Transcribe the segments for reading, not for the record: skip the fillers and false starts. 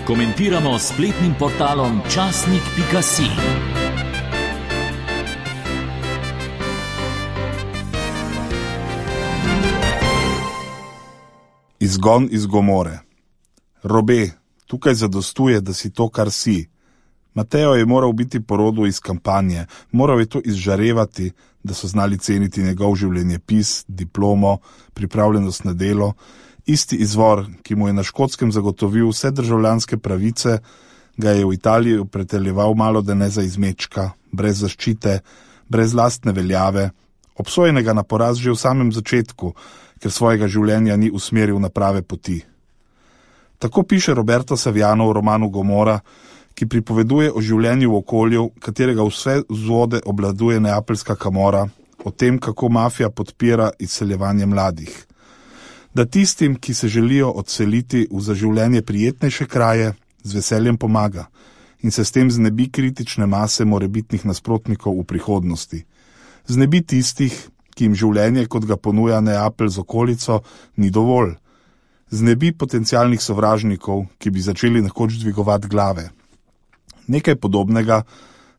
Komentiramo s spletnim portalom časnik.si. Izgon iz Gomore. Robe, tukaj zadostuje, da si to, kar si. Mateo je moral biti po rodu iz kampanje, moral je to izžarevati, da so znali ceniti njegov življenjepis, diplomo, pripravljenost na delo, isti izvor, ki mu je na Škotskem zagotovil vse državljanske pravice, ga je v Italiji preteljeval malo da ne za izmečka, brez zaščite, brez lastne veljave, obsojenega na poraz že v samem začetku, ker svojega življenja ni usmeril na prave poti. Tako piše Roberto Saviano v romanu Gomora, ki pripoveduje o življenju v okolju, katerega vse vzvode obladuje neapeljska Camorra, o tem, kako mafija podpira izseljevanje mladih. Da tistim, ki se želijo odseliti v za življenje prijetnejše kraje, z veseljem pomaga in se s tem znebi kritične mase morebitnih nasprotnikov v prihodnosti. Znebi tistih, ki jim življenje, kot ga ponuja Neapelj z okolico, ni dovolj. Znebi potencialnih sovražnikov, ki bi začeli nekoč dvigovati glave. Nekaj podobnega,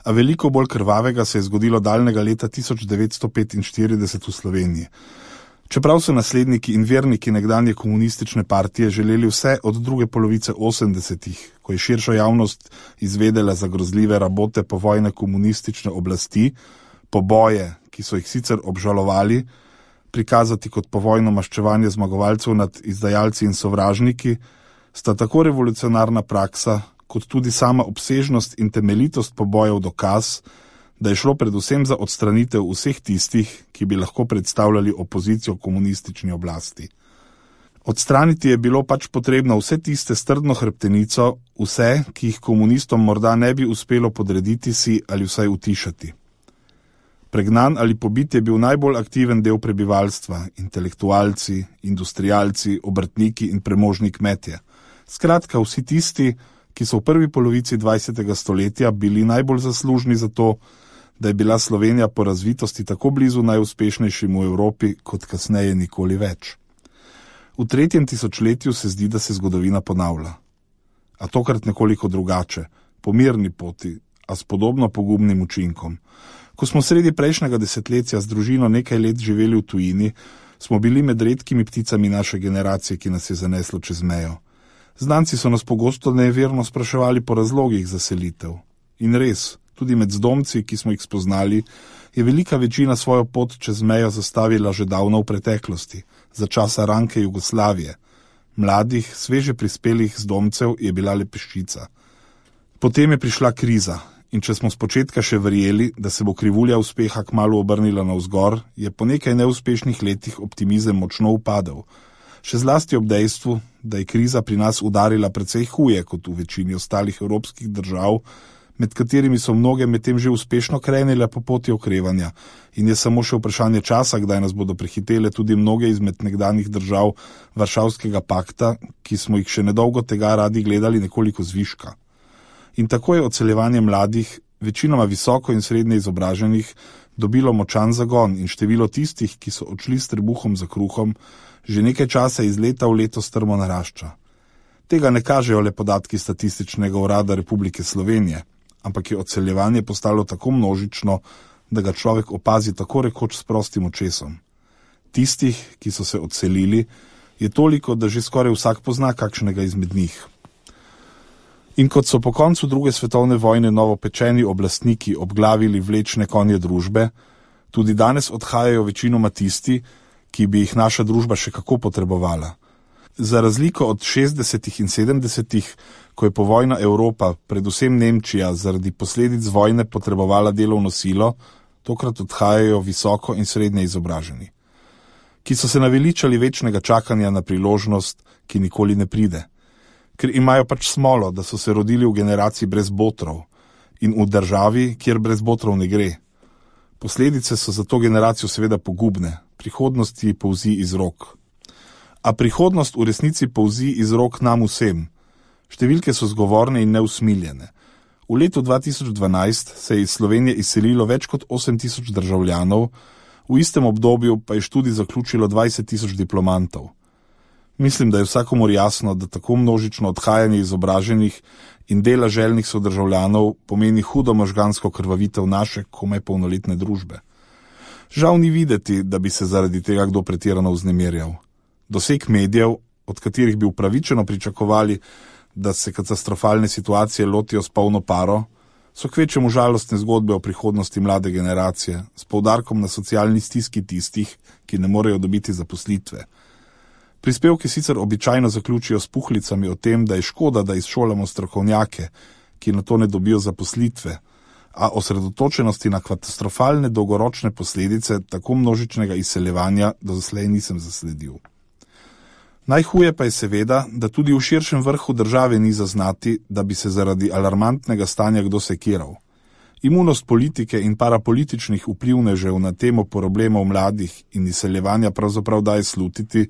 a veliko bolj krvavega se je zgodilo daljnega leta 1945 v Sloveniji. Čeprav so nasledniki in verniki nekdanje komunistične partije želeli vse od druge polovice 80-ih, ko je širša javnost izvedela za grozljive rabote povojne komunistične oblasti, poboje, ki so jih sicer obžalovali, prikazati kot povojno maščevanje zmagovalcev nad izdajalci in sovražniki, sta tako revolucionarna praksa, kot tudi sama obsežnost in temeljitost pobojev dokaz, da je šlo predvsem za odstranitev vseh tistih, ki bi lahko predstavljali opozicijo komunistični oblasti. Odstraniti je bilo pač potrebno vse tiste s trdno hrbtenico, vse, ki jih komunistom morda ne bi uspelo podrediti si ali vsaj utišati. Pregnan ali pobit je bil najbolj aktiven del prebivalstva, intelektualci, industrialci, obrtniki in premožni kmetje. Skratka, vsi tisti, ki so v prvi polovici 20. stoletja bili najbolj zaslužni za to, da je bila Slovenija po razvitosti tako blizu najuspešnejšim v Evropi, kot kasneje nikoli več. V 3. tisočletju se zdi, da se zgodovina ponavlja. A tokrat nekoliko drugače, po mirni poti, a s podobno pogubnim učinkom. Ko smo sredi prejšnjega desetletja z družino nekaj let živeli v tujini, smo bili med redkimi pticami naše generacije, ki nas je zaneslo čez mejo. Znanci so nas pogosto neverno spraševali po razlogih za selitev. In res, tudi med zdomci, ki smo jih spoznali, je velika večina svojo pot čez mejo zastavila že davno v preteklosti, za časa ranke Jugoslavije. Mladih, sveže prispelih zdomcev je bila le peščica. Potem je prišla kriza in če smo spočetka še verjeli, da se bo krivulja uspeha kmalu obrnila navzgor, je po nekaj neuspešnih letih optimizem močno upadel. Še zlasti ob dejstvu, da je kriza pri nas udarila precej huje kot v večini ostalih evropskih držav, med katerimi so mnoge medtem že uspešno krenile po poti okrevanja in je samo še vprašanje časa, kdaj nas bodo prehitele tudi mnoge izmed nekdanjih držav Varšavskega pakta, ki smo jih še nedolgo tega radi gledali nekoliko zviška. In tako je odseljevanje mladih, večinoma visoko in srednje izobraženih, dobilo močan zagon in število tistih, ki so odšli s trebuhom za kruhom, že nekaj časa iz leta v leto strmo narašča. Tega ne kažejo le podatki Statističnega urada Republike Slovenije, ampak je odseljevanje postalo tako množično, da ga človek opazi tako rekoč s prostim očesom. Tistih, ki so se odselili, je toliko, da že skoraj vsak pozna kakšnega izmed njih. In kot so po koncu druge svetovne vojne novopečeni oblastniki obglavili vlečne konje družbe, tudi danes odhajajo večinoma tisti, ki bi jih naša družba še kako potrebovala. Za razliko od 60. in 70. ko je povojna Evropa, predvsem Nemčija, zaradi posledic vojne potrebovala delovno silo, tokrat odhajajo visoko in srednje izobraženi, ki so se naveličali večnega čakanja na priložnost, ki nikoli ne pride. Ker imajo pač smolo, da so se rodili v generaciji brez botrov in v državi, kjer brez botrov ne gre. Posledice so za to generacijo seveda pogubne, prihodnost ji polzi iz rok. A prihodnost v resnici polzi iz rok nam vsem. Številke so zgovorne in neusmiljene. V letu 2012 se je iz Slovenije izselilo več kot 8.000 državljanov, v istem obdobju pa je študij zaključilo 20.000 diplomantov. Mislim, da je vsakomur jasno, da tako množično odhajanje izobraženih in dela željnih sodržavljanov pomeni hudo možgansko krvavitev naše komaj polnoletne družbe. Žal ni videti, da bi se zaradi tega kdo pretirano vznemirjal. Doseg medijev, od katerih bi upravičeno pričakovali, da se katastrofalne situacije lotijo s polno paro, so kvečemu žalostne zgodbe o prihodnosti mlade generacije, s poudarkom na socialni stiski tistih, ki ne morejo dobiti zaposlitve. Prispevki sicer običajno zaključijo s puhlicami o tem, da je škoda, da izšolamo strokovnjake, ki na to ne dobijo zaposlitve, a osredotočenosti na katastrofalne dolgoročne posledice tako množičnega izseljevanja doslej nisem zasledil. Najhuje pa je seveda, da tudi v širšem vrhu države ni zaznati, da bi se zaradi alarmantnega stanja kdo sekiral. Imunost politike in parapolitičnih vplivnežev na temo problemov mladih in izseljevanja pravzaprav daje slutiti,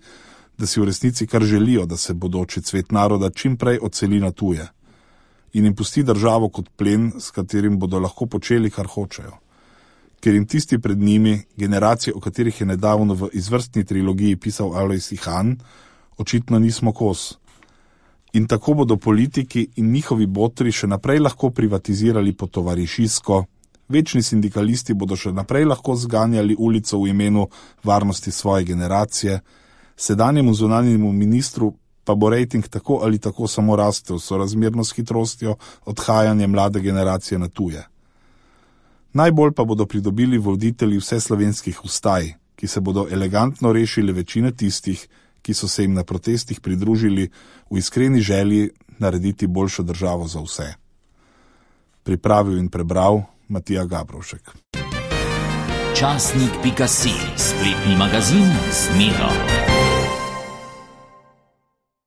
da si v resnici kar želijo, da se bodoči cvet naroda čim prej odseli na tuje in jim pusti državo kot plen, s katerim bodo lahko počeli, kar hočejo. Ker jim tisti pred njimi, generacije, o katerih je nedavno v izvrstni trilogiji pisal Alojz Ihan, očitno nismo kos. In tako bodo politiki in njihovi botri še naprej lahko privatizirali po tovarišisko, večni sindikalisti bodo še naprej lahko zganjali ulico v imenu varnosti svoje generacije, sedanjemu zunanjemu ministru pa bo rejting tako ali tako samo rastel sorazmerno s hitrostjo odhajanja mlade generacije na tuje. Najbolj pa bodo pridobili voditelji vseslovenskih vstaj, ki se bodo elegantno rešili večine tistih, ki so se jim na protestih pridružili v iskreni želji narediti boljšo državo za vse. Pripravil in prebral Matija Gabrovšek. Časnik.si, spletni magazin z Miro.